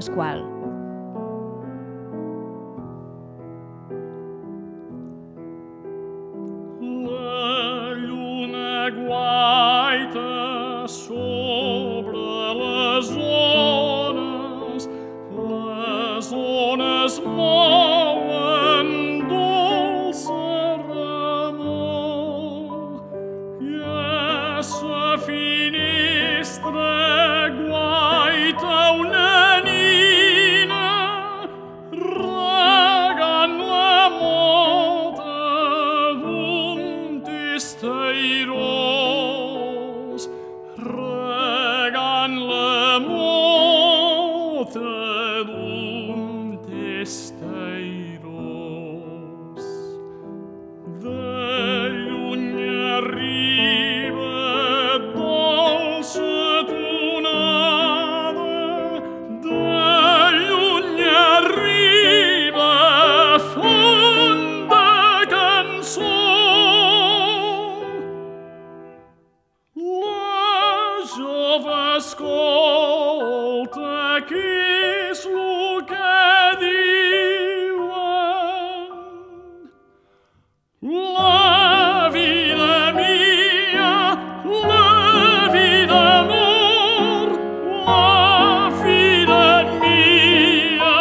Pasqual. La lluna guaita sobre les ones mouen dolça remor i a sa finestra guaita una nina regant la mota d'un testairós, regant la mota d'un testairós. De lluny arriba dolça tonada, de lluny arriba fonda cançó. La jove escolta què és lo que diuen. La vida mia, la vida amor, la vida mia,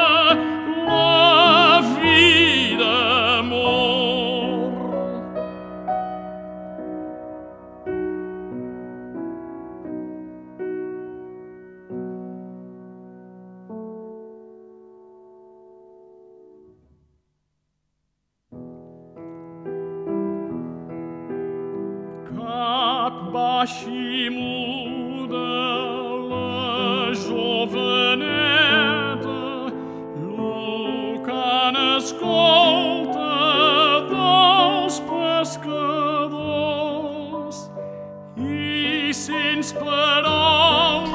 la vida amor. Cap baix i muda la joveneta, lo que n'escolta dels pescadors i sense paraules.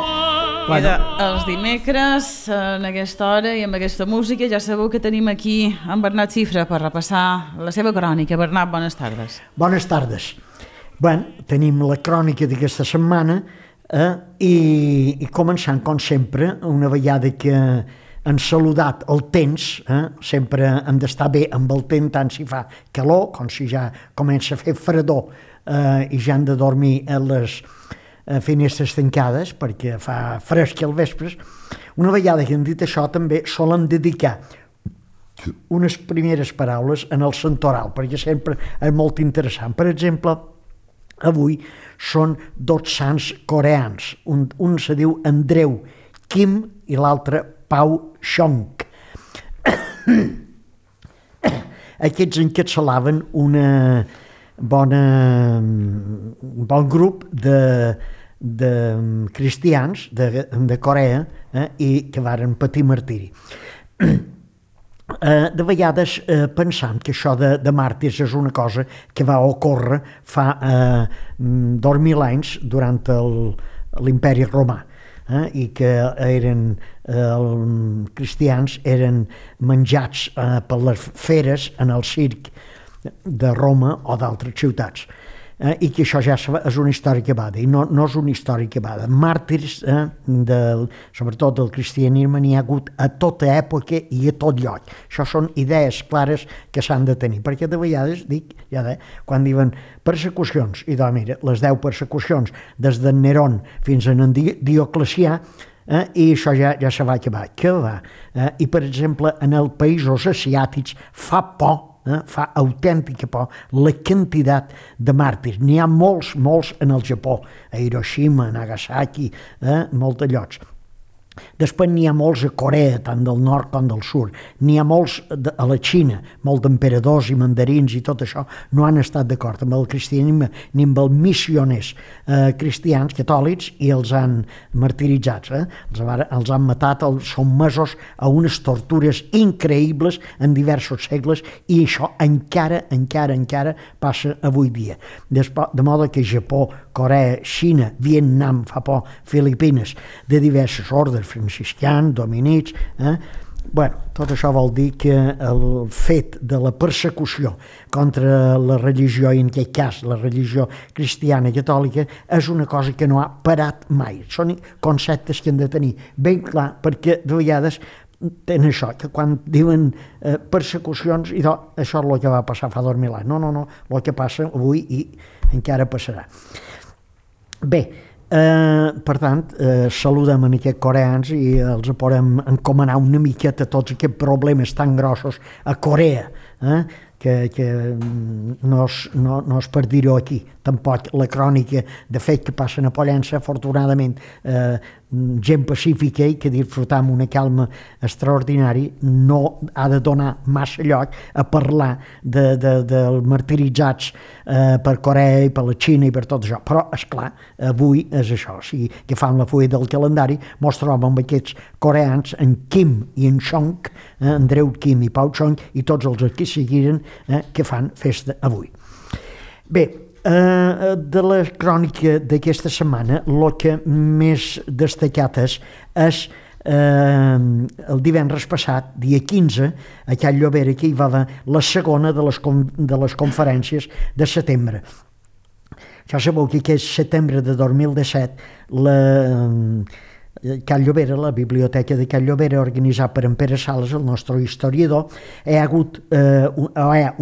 Mira, els dimecres, en aquesta hora i amb aquesta música, ja sabeu que tenim aquí en Bernat Cifra per repassar la seva crònica. Bernat, bones tardes. Bones tardes. Bé, tenim la crònica d'aquesta setmana i començant, com sempre, una vegada que han saludat el temps, sempre hem d'estar bé amb el temps, tant si fa calor com si ja comença a fer fredor i ja han de dormir a les finestres tancades perquè fa fresc al vespre. Una vegada que hem dit això, també solen dedicar unes primeres paraules en el santoral, perquè sempre és molt interessant. Per exemple, avui són dos sants coreans. Un se diu Andreu Kim i l'altre Pau Chong. Aquests encapçalaven un bon grup de cristians de Corea i que varen patir martiri. De vegades pensam que això de màrtirs és una cosa que va ocórrer fa 2000 anys durant l'imperi romà i que els cristians eren menjats per les feres en el circ de Roma o d'altres ciutats. I que això ja és una història que va i no és una història que va. Màrtirs, sobretot del cristianisme, n'hi ha hagut a tota època i a tot lloc. Això són idees clares que s'han de tenir, perquè de vegades, quan diuen persecucions, i doncs mira, les 10 persecucions des d'en Nerón fins a en Dioclecià, i això ja se va acabar. Què va? I, per exemple, en els països asiàtics fa por, fa autèntica por la quantitat de màrtirs. N'hi ha molts en el Japó, a Hiroshima, a Nagasaki, molts llocs. Després n'hi ha molts a Corea, tant del nord com del sud. N'hi ha molts a la Xina, molts d'emperadors i mandarins i tot això no han estat d'acord amb el cristianisme ni amb els missioners cristians, catòlics, i els han martiritzats. Els han matat, els sotmesos a unes tortures increïbles en diversos segles, i això encara passa avui dia. De modo que Japó, Corea, Xina, Vietnam, fa por, Filipines, de diversos ordres, franciscans, dominics, Tot això vol dir que el fet de la persecució contra la religió, i en aquest cas la religió cristiana i catòlica, és una cosa que no ha parat mai. Són conceptes que hem de tenir ben clar, perquè de vegades tenen això, que quan diuen persecucions, i això és el que va passar fa 2000 anys. No, el que passa avui i encara passarà. Bé, per tant, saludem en aquests coreans i els podem encomanar una miqueta tots aquests problemes tan grossos a Corea, que no és per dir-ho aquí, tampoc la crònica de fet que passen a Pollença, afortunadament gent pacífica i que disfrutam una calma extraordinari, no ha de donar massa lloc a parlar dels martiritzats per Corea i per la Xina i per tot això, però esclar, avui és això, o sigui, que fan la fulla del calendari, mos trobem amb aquests coreans, en Kim i en Chong, Andreu Kim i Pau Chong, i tots els que seguiren que fan festa avui. Bé, de la crònica d'aquesta setmana, el que més destacat és el divendres passat, dia 15, a Can Llobera, que hi va haver la segona de les conferències de setembre. Ja sabeu que aquest setembre de 2017 Can Llobera, la biblioteca de Can Llobera, organitzat per en Pere Sales, el nostre historiador, hi ha hagut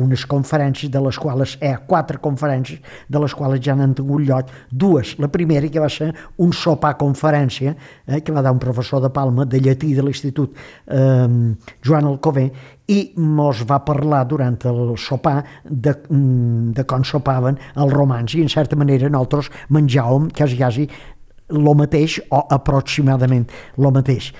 unes conferències, de les quals hi ha 4 conferències, de les quals ja n'han tingut lloc 2. La primera, que va ser un sopar conferència, que va dar un professor de Palma, de llatí de l'Institut Joan Alcover, i mos va parlar durant el sopar de com sopaven els romans, i en certa manera nosaltres menjàvem quasi el mateix o aproximadament el mateix.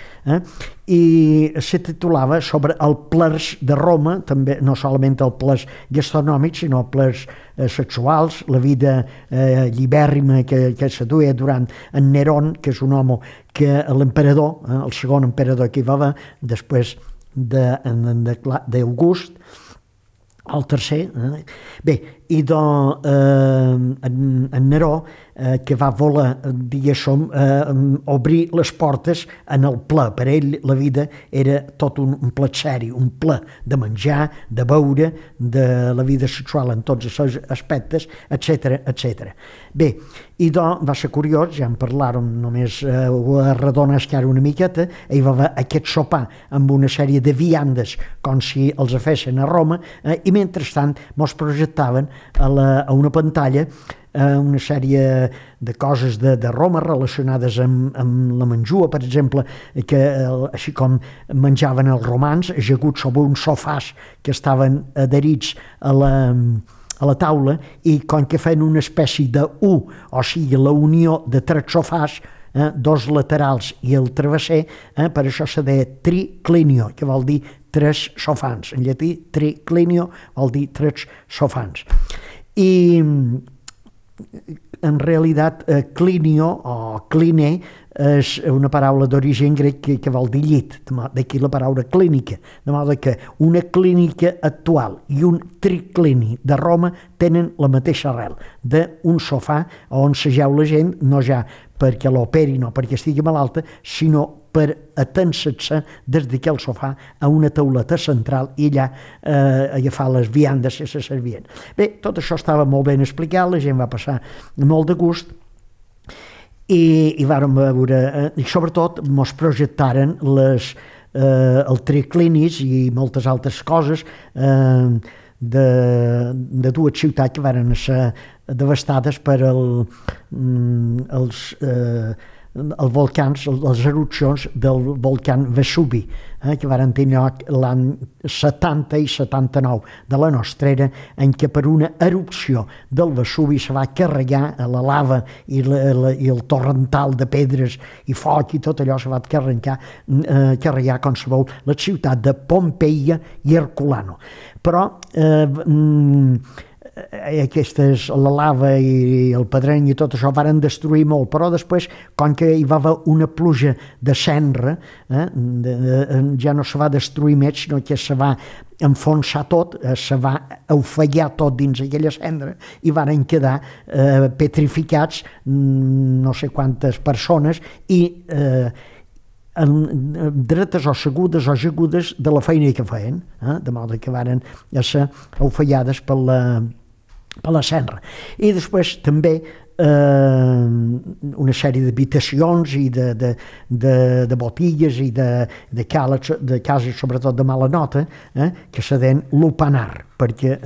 I se titulava sobre el plers de Roma, també no solament el plers gastronòmic, sinó plers sexuals, la vida llibèrrima que se duia durant en Nerón, que és un home que l'emperador, el segon emperador que hi va haver, després d'August, el tercer. Bé, i en Neró, que va voler, diguéssim, obrir les portes en el ple. Per ell la vida era tot un plat seri, un ple de menjar, de beure, de la vida sexual en tots els seus aspectes, etc. Bé, i va ser curiós, ja en parlàrem, només ho arredones que ara una miqueta, hi va haver aquest sopar amb una sèrie de viandes, com si els fessin a Roma, i mentrestant mos projectaven a una pantalla una sèrie de coses de Roma relacionades amb la menjua, per exemple, que així com menjaven els romans, ajaguts sobre uns sofàs que estaven adherits a la taula, i com que feien una espècie de U, o sigui, la unió de 3 sofàs, 2 laterals i el travesser, per això se deia triclinio, que vol dir 3 sofans. En llatí, triclinio vol dir 3 sofans. I en realitat clinio o cline és una paraula d'origen grec que vol dir llit, d'aquí la paraula clínica, de modo que una clínica actual i un triclini de Roma tenen la mateixa arrel, d'un sofà on s'ajeu la gent, no ja perquè l'operin o perquè estigui malalta, sinó per atèncer-se des d'aquell sofà a una tauleta central i allà agafar les viandes que se servien. Bé, tot això estava molt ben explicat, la gent va passar molt de gust, i vàrem veure, i sobretot mos projectaren el triclinis i moltes altres coses de 2 ciutats que van ser devastades per els volcans, les erupcions del volcán Vesuvi, que van tenir lloc l'any 70 i 79 de la nostra era, en què per una erupció del Vesuvi se va carregar la lava i el torrental de pedres i foc i tot allò se va carregar, com sabeu, la ciutat de Pompeia i Herculano. Però la lava i el pedreny i tot això varen destruir molt, però després, com que hi va haver una pluja de cendra, ja no se va destruir més, sinó que se va enfonsar tot, se va ofegar tot dins aquella cendra i varen quedar petrificats no sé quantes persones, i dretes o segudes o jagudes de la feina que feien, de modo que varen ser ofellades per la serra. I després també una sèrie d'habitacions i de botilles i de cases, sobretot de mala nota, que se deien lupanar, perquè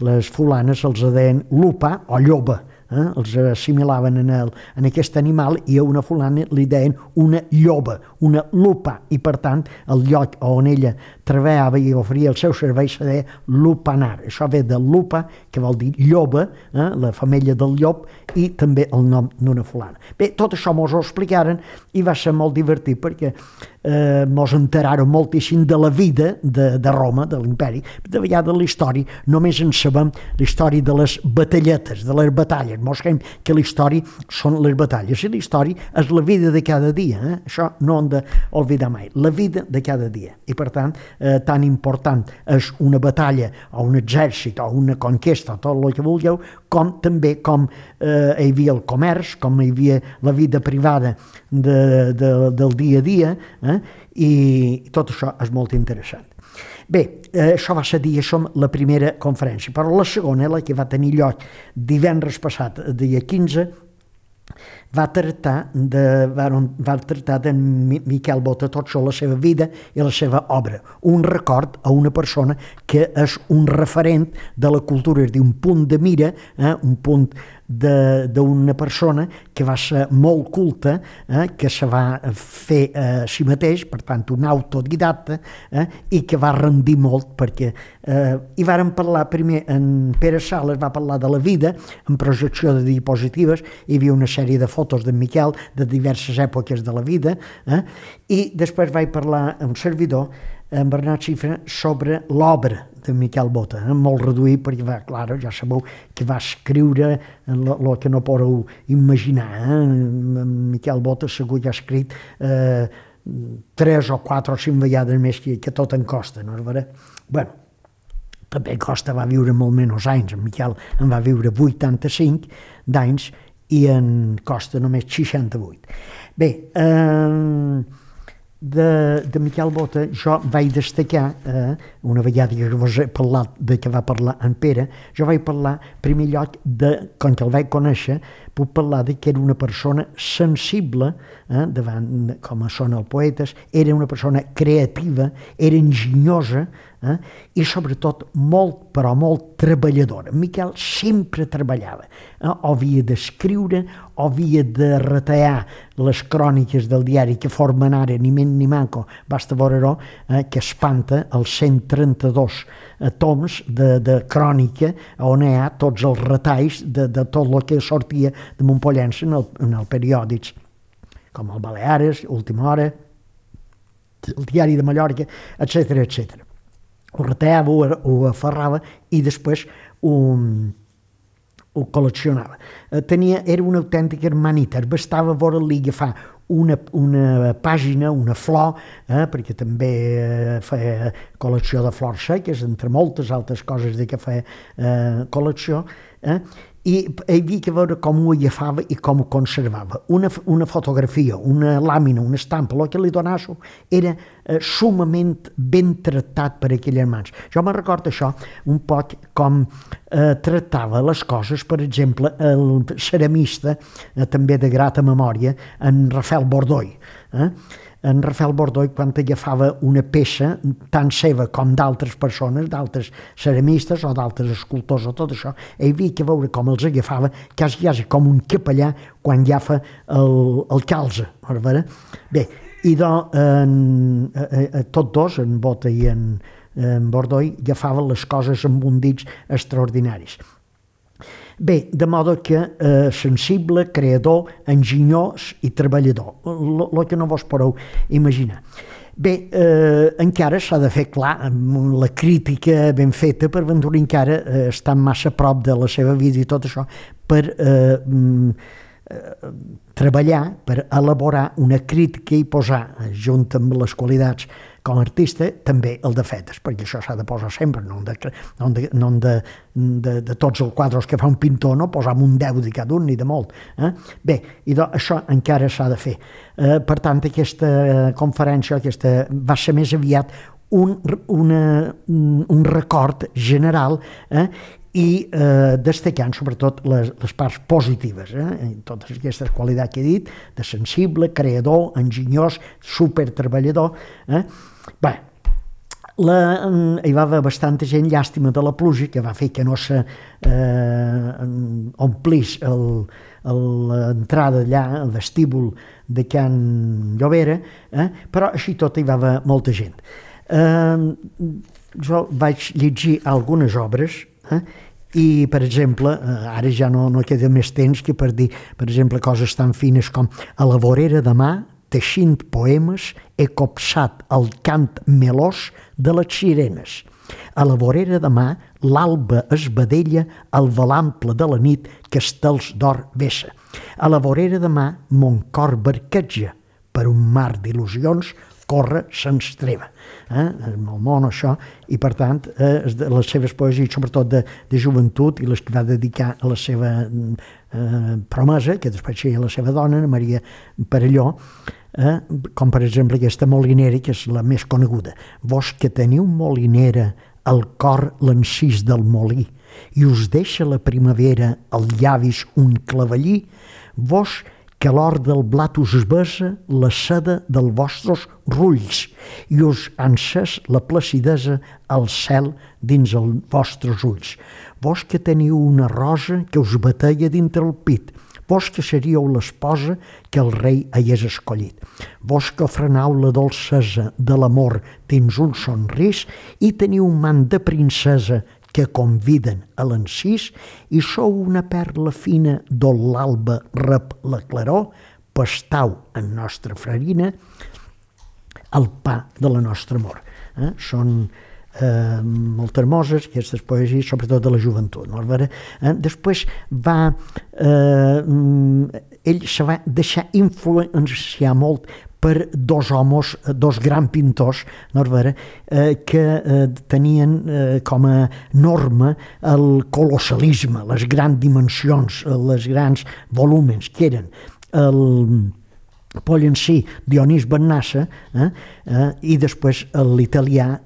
les fulanes els deien lupa o lloba, els assimilaven en aquest animal i a una fulana li deien una lloba, una lupa, i per tant el lloc on ella treballava i oferia el seu servei se deia lupanar. Això ve de lupa, que vol dir lloba, la femella del llop, i també el nom d'una fulana. Bé, tot això mos ho explicaren i va ser molt divertit perquè mos enteraren moltíssim de la vida de Roma, de l'imperi. De vegades la història només en sabem la història de les batalletes, de les batalles. Mos creiem que la història són les batalles i la història és la vida de cada dia. Això no hem d'oblidar mai, la vida de cada dia. I per tant, tan important és una batalla o un exèrcit o una conquesta o tot el que vulgueu, com també com hi havia el comerç, com hi havia la vida privada del dia a dia, i tot això és molt interessant. Bé, això va ser, diguéssim, la primera conferència, però la segona, la que va tenir lloc divendres passat, dia 15, va tractar de Miquel Bota, tot això, la seva vida i la seva obra, un record a una persona que és un referent de la cultura, és a dir, un punt de mira, un punt d'una persona que va ser molt culta, que se va fer a si mateix, per tant un autodidacta, i que va rendir molt perquè hi varen parlar primer, en Pere Sales va parlar de la vida en projecció de diapositives, hi havia una sèrie de fotos d'en Miquel de diverses èpoques de la vida, i després vaig parlar amb un servidor, en Bernat Xifra, sobre l'obra de Miquel Bota, molt reduït perquè clar, ja sabeu que va escriure el que no podeu imaginar. Miquel Bota segur que ha escrit 3 o 4 o 5 vegades més que tot en Costa, no és veritat? Bé, també Costa va viure molt menys anys, en Miquel en va viure 85 d'anys i en Costa només 68. Bé, de Miquel Bota jo vaig destacar, una vegada que vos he parlat de que va parlar en Pere, jo vaig parlar en primer lloc com que el vaig conèixer, puc parlar de que era una persona sensible davant, com són els poetes, era una persona creativa, era enginyosa, i sobretot molt, però molt treballadora. Miquel sempre treballava, o havia d'escriure, o havia de retallar les cròniques del diari que formen ara ni men ni manco, basta veure-ho, que espanta els 132 toms de crònica on hi ha tots els retalls de tot el que sortia de Montpollense en els periòdics, com el Baleares, Última Hora, el Diari de Mallorca, etc etc. Ho retallava, ho aferrava i després ho col·leccionava. Era una autèntica hermanita, bastava veure-li agafar una pàgina, una flor, perquè també feia col·lecció de flors seques, entre moltes altres coses de què feia col·lecció, i hi havia que veure com ho agafava i com ho conservava. Una fotografia, una làmina, una estampa, el que li donava era sumament ben tractat per aquelles mans. Jo me'n recordo això un poc com tractava les coses, per exemple, el ceramista, també de grata memòria, en Rafael Bordoi. En Rafael Bordoi, quan agafava una peça tant seva com d'altres persones, d'altres ceramistes o d'altres escultors o tot això, hi havia que veure com els agafava, quasi com un capellà quan agafa el calze. Bé, i tots dos, en Bota i en Bordoi, agafaven les coses amb un dits extraordinaris. Bé, de modo que sensible, creador, enginyós i treballador, el que no vos podeu imaginar. Bé, encara s'ha de fer clar, la crítica ben feta per Ventura encara està massa a prop de la seva vida i tot això, per treballar, per elaborar una crítica i posar, junt amb les qualitats com a artista, també el de fetes, perquè això s'ha de posar sempre, no de tots els quadres que fa un pintor, no posam un 10 de cada un ni de molt. Bé, i això encara s'ha de fer. Per tant, aquesta conferència va ser més aviat un record general i destacant sobretot les parts positives, totes aquestes qualitats que he dit, de sensible, creador, enginyós, supertreballador. Bé, hi va haver bastanta gent, llàstima de la pluja, que va fer que no s'omplís l'entrada allà, el vestíbul de Can Llobera, però així tot hi va haver molta gent. Jo vaig llegir algunes obres i, per exemple, ara ja no queda més temps que per dir, per exemple, coses tan fines com a la vorera de mà, teixint poemes, he copsat el cant melós de les sirenes. A la vorera de mà, l'alba es vedella al velample de la nit que estels d'or vessa. A la vorera de mà, mon cor barqueja per un mar d'il·lusions corre sense treva. És molt mono això, i per tant les seves poesies, sobretot de joventut, i les que va dedicar a la seva promesa, que després seria la seva dona, Maria Perelló, com per exemple aquesta molinera, que és la més coneguda. Vos que teniu molinera al cor l'encís del molí i us deixa la primavera als llavis un clavellí, vos que l'or del blat us besa la seda dels vostres rulls i us ha encès la placidesa al cel dins els vostres ulls. Vos que teniu una rosa que us batalla dintre el pit, vos que seríeu l'esposa que el rei hagués escollit. Vos que ofrenau la dolcesa de l'amor dins un somrís i teniu un mant de princesa que conviden a l'encís i sou una perla fina d'on l'alba rep la claror, pastau en nostra farina el pa de la nostra amor. Són molt hermoses aquestes poesies, sobretot de la joventut. Després ell se va deixar influenciar molt per dos homes, dos grans pintors, que tenien com a norma el colossalisme, les grans dimensions, els grans volúmens, que eren el Pollencí, Dionís Bennassa, i després l'italià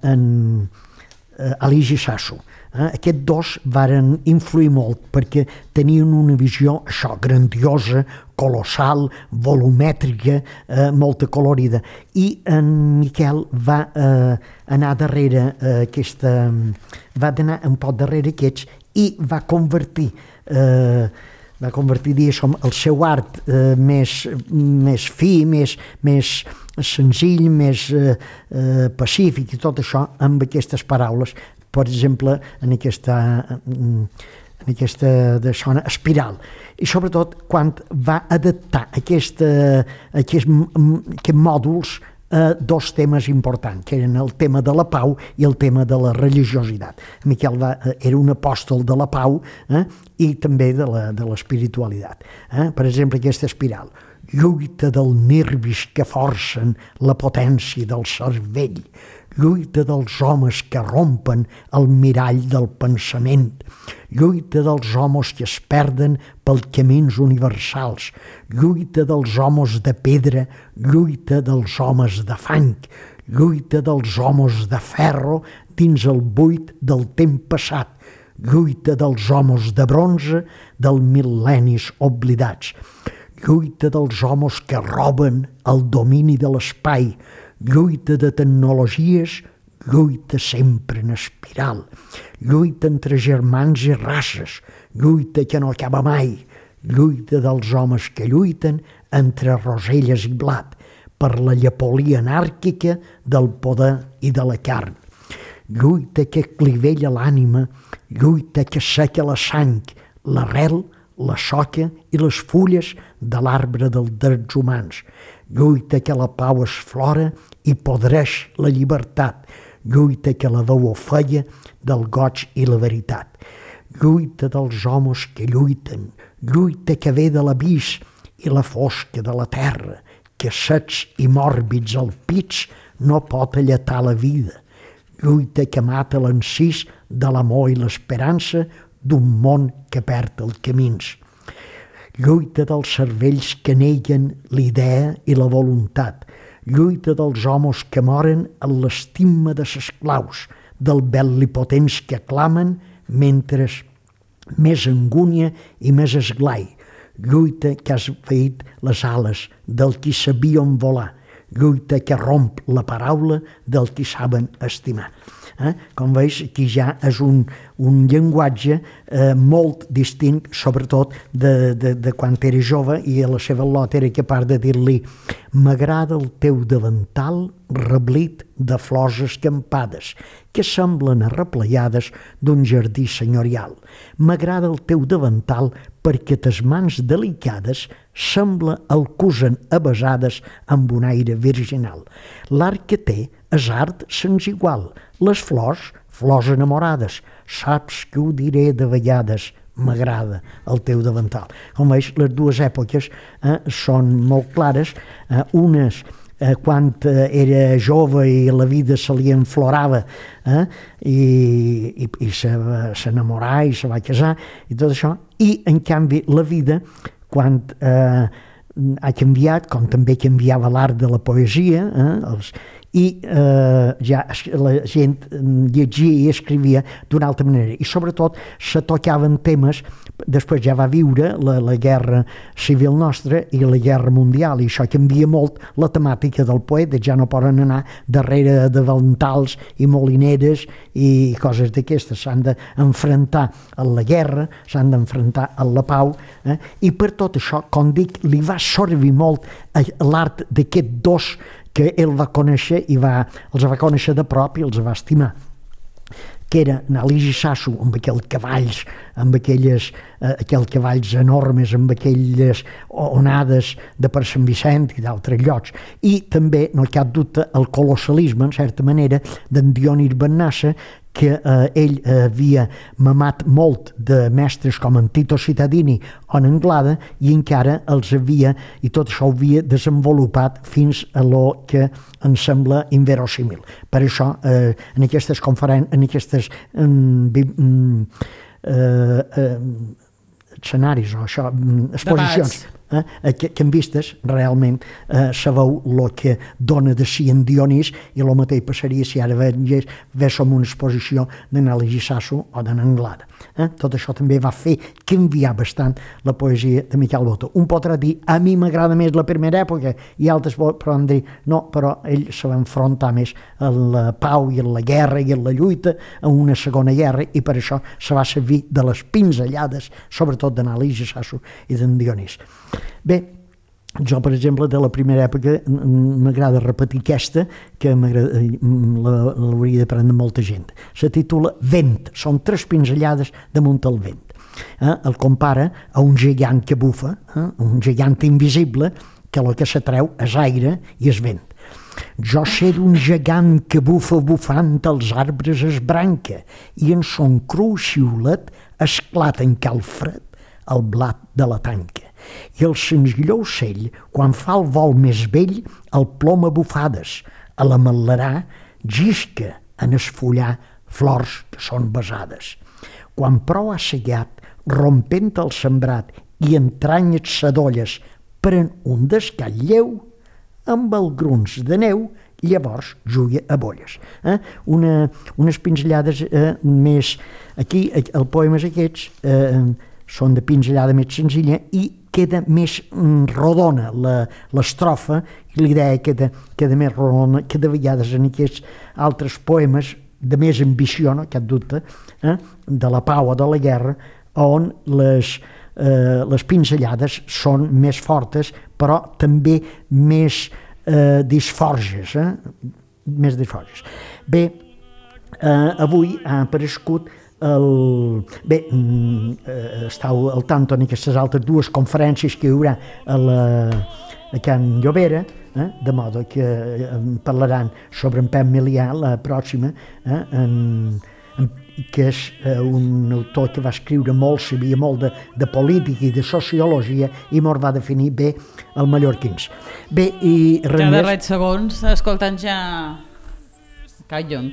Aligi Sasso. Aquests dos varen influir molt perquè tenien una visió grandiosa, colossal, volumètrica, molt colorida. I en Miquel va anar darrere va anar un poc darrere aquests i va convertir el seu art més fi, més senzill, més pacífic i tot això amb aquestes paraules. Per exemple, en aquesta espiral. I sobretot quan va adaptar aquests mòduls a dos temes importants, que eren el tema de la pau i el tema de la religiositat. Miquel era un apòstol de la pau i també de l'espiritualitat. Per exemple, aquesta espiral. Lluita del nervis que forcen la potència del cervell, lluita dels homes que rompen el mirall del pensament, lluita dels homes que es perden pels camins universals, lluita dels homes de pedra, lluita dels homes de fang, lluita dels homes de ferro dins el buit del temps passat, lluita dels homes de bronze dels mil·lennis oblidats, lluita dels homes que roben el domini de l'espai, lluita de tecnologies, lluita sempre en espiral, lluita entre germans i races, lluita que no acaba mai, lluita dels homes que lluiten entre roselles i blat, per la llepolia anàrquica del poder i de la carn. Lluita que clivella l'ànima, lluita que seca la sang, l'arrel, la soca i les fulles de l'arbre dels drets humans. Lluita que la pau es flora i podreix la llibertat. Lluita que la veu ofeia del goig i la veritat. Lluita dels homes que lluiten, lluita que ve de l'abís i la fosca de la terra, que secs i mòrbids al pits no pot alletar la vida. Lluita que mata l'encís de l'amor i l'esperança d'un món que perd els camins. Lluita dels cervells que neguen l'idea i la voluntat. Lluita dels homes que moren en l'estima de ses claus, del bel·lipotents que clamen mentre més angúnia i més esglai. Lluita que has feit les ales del qui sabien volar. Lluita que romp la paraula del qui saben estimar. Com veus, aquí ja és un llenguatge molt distint, sobretot de quan era jove, i a la seva lot era capaç de dir-li: m'agrada el teu davantal reblit de flors escampades, que semblen arrepleiades d'un jardí senyorial. M'agrada el teu davantal perquè tes mans delicades sembla el cosen avesades amb un aire virginal. L'art que té és art sens igual. Les flors, flors enamorades. Saps que ho diré de vegades, m'agrada el teu davantal. Com veus, les dues èpoques són molt clares. Unes quan era jove i la vida se li enflorava i s'enamorà i se va casar i tot això, i en canvi la vida quan ha canviat, com també canviava l'art de la poesia, i ja la gent llegia i escrivia d'una altra manera, i sobretot se tocaven temes. Després ja va viure la guerra civil nostra i la guerra mundial, i això canvia molt la temàtica del poeta. Ja no poden anar darrere de davantals i molineres i coses d'aquestes. S'han d'enfrontar a la guerra, s'han d'enfrontar a la pau, i per tot això, com dic, li va servir molt l'art d'aquests dos que ell va conèixer i els va conèixer de prop i els va estimar, que era Alís i Sasso, amb aquells cavalls, amb aquells cavalls enormes, amb aquelles onades de per Sant Vicent i d'altres llocs. I també, no hi ha cap dubte, el colossalisme, en certa manera, d'en Dionís Bennassa, que ell havia mamat molt de mestres com en Tito Cittadini o en Anglada, i encara els havia, i tot això ho havia desenvolupat fins a lo que ens sembla inverosímil. Per això, en aquestes conferències, en aquestes escenaris o això, exposicions que en vistes, realment sabeu el que dona de si en Dionís, i el mateix passaria si ara véssim una exposició d'en Alís i Sasso o d'en Anglada. Tot això també va fer canviar bastant la poesia de Miquel Botó. Un podrà dir, a mi m'agrada més la primera època, i altres poden dir, no, però ell se va enfrontar més a la pau i a la guerra i a la lluita, a una segona guerra, i per això se va servir de les pinzellades, sobretot d'en Alís i Sasso i d'en Dionís. Bé, jo, per exemple, de la primera època m'agrada repetir aquesta, que l'hauria d'aprendre molta gent. Se titula Vent, són 3 pinzellades damunt el vent. El compara a un gegant que bufa, un gegant invisible, que el que s'atreu és aire i és vent. Jo sé d'un gegant que bufa bufant els arbres es branca, i en son cru xiulet esclata en cal fred el blat de la tanca. I el senzilló ocell, quan fa el vol més vell, el ploma bufades, a la matlarà gisca en esfollar flors que són besades. Quan prou ha segat, rompent el sembrat i entranyes sadolles, pren un descall lleu, amb el gruns de neu, llavors juga a bolles. Unes pinzellades més... Aquí, els poemes aquests són de pinzellada més senzilla i queda més rodona l'estrofa, i l'idea queda més rodona que de vegades en aquests altres poemes de més ambició, no cap dubte, de la pau o de la guerra, on les pinzellades són més fortes, però també més disforges. Més disforges. Bé, avui ha aparegut estàu al tanto en aquestes altres 2 conferències que hi haurà a Can Llobera, de modo que parlaran sobre en Pep Milià, la pròxima, que és un autor que va escriure molt, sabia molt de política i de sociologia i mos va definir bé el mallorquins. Bé, i res Ja de més... res segons, escoltant ja Cal Llong.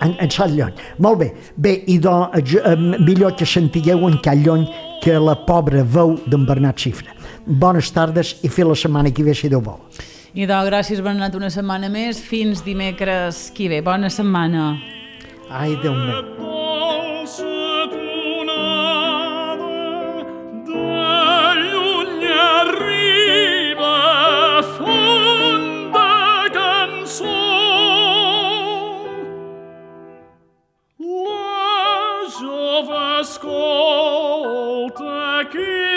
En Cal Llong. Molt bé. Bé, i millor que sentigueu en Cal Llong que la pobra veu d'en Bernat Xifra. Bones tardes i fins la setmana que ve, si Déu vol. I gràcies Bernat una setmana més, fins dimecres que ve. Bona setmana. Ai, Déu meu. Dolça tonada de lluny arriba fonda cançó. La jove escolta que